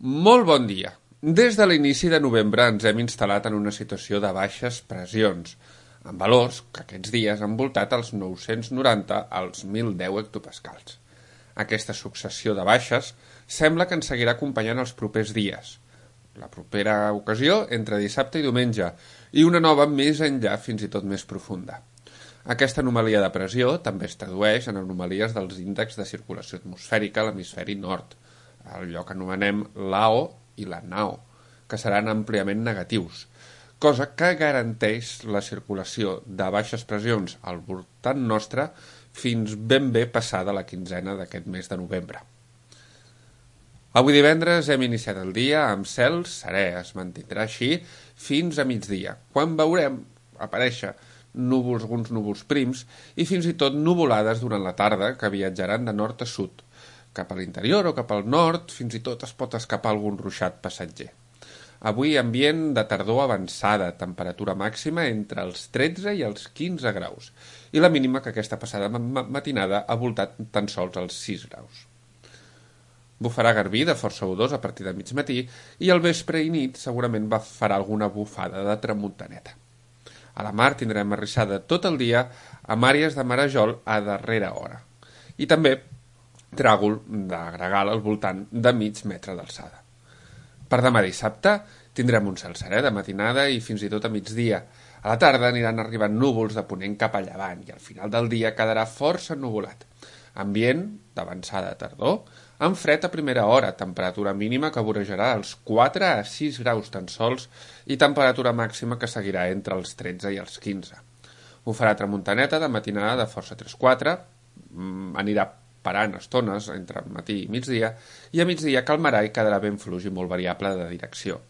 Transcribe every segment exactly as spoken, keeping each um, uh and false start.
Molt bon dia. Des de l'inici de novembre ens hem instal·lat en una situació de baixes pressions, amb valors que aquests dies han voltat els nou-cents noranta als mil deu hectopascals. Aquesta successió de baixes sembla que ens seguirà acompanyant els propers dies. La propera ocasió entre dissabte i diumenge, i una nova més enllà fins i tot més profunda. Aquesta anomalia de pressió també es tradueix en anomalies dels índexs de circulació atmosfèrica a l'hemisferi nord, allò que anomenem l'A O i la N A O, que seran àmpliament negatius, cosa que garanteix la circulació de baixes pressions al voltant nostre fins ben bé passada la quinzena d'aquest mes de novembre. Avui divendres hem iniciat el dia amb cel serè, es mantindrà així fins a migdia, quan veurem aparèixer núvols, alguns núvols prims i fins i tot nuvolades durant la tarda que viatjaran de nord a sud. Cap a l'interior o cap al nord, fins i tot es pot escapar algun ruixat passatger. Avui ambient de tardor avançada, temperatura màxima entre els tretze i els quinze graus, i la mínima que aquesta passada matinada ha voltat tan sols els sis graus. Bufarà garbí de força odors a partir de mig matí i al vespre i nit segurament va farà alguna bufada de tramuntaneta. A la mar tindrem arrissada tot el dia amb àrees de marejol a darrera hora. I també tràgol de gregal al voltant de mig metre d'alçada. Per demà dissabte tindrem un cel serè de matinada i fins i tot a migdia. A la tarda aniran arribant núvols de ponent cap a llevant i al final del dia quedarà força ennuvolat. Ambient d'avançada tardor, amb fred a primera hora, temperatura mínima que vorejarà els quatre a sis graus tan sols i temperatura màxima que seguirà entre els tretze i els quinze. Ho farà tramuntaneta de matinada de força tres quatre, anirà parant estones entre matí i migdia, i a migdia calmarà i quedarà ben fluix i molt variable de direcció.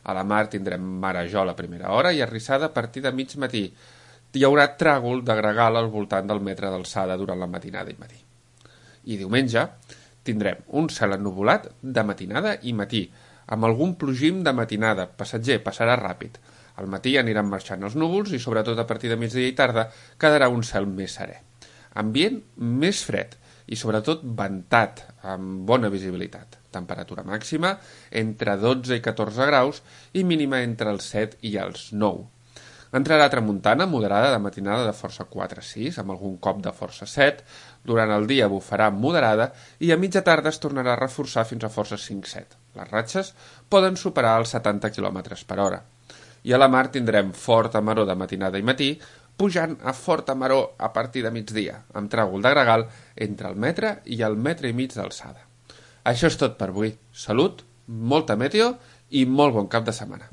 A la mar tindrem marejol a primera hora i arrissada a partir de mig matí. Hi haurà tràgol de gregal al voltant del metre d'alçada durant la matinada i matí. I diumenge tindrem un cel ennuvolat de matinada i matí, amb algun plogim de matinada, passatger, passarà ràpid. Al matí aniran marxant els núvols i sobretot a partir de migdia i tarda quedarà un cel més serè. Ambient més fred i sobretot ventat, amb bona visibilitat. Temperatura màxima entre dotze i catorze graus i mínima entre els set i els nou. Entrarà tramuntana moderada de matinada de força quatre sis, amb algun cop de força set, durant el dia bufarà moderada i a mitja tarda es tornarà a reforçar fins a força cinc set. Les ratxes poden superar els setanta quilòmetres per hora. I a la mar tindrem forta maror de matinada i matí, pujant a forta maror a partir de migdia, amb tràgol de gregal entre el metre i el metre i mig d'alçada. Això és tot per avui. Salut, molta meteo i molt bon cap de setmana.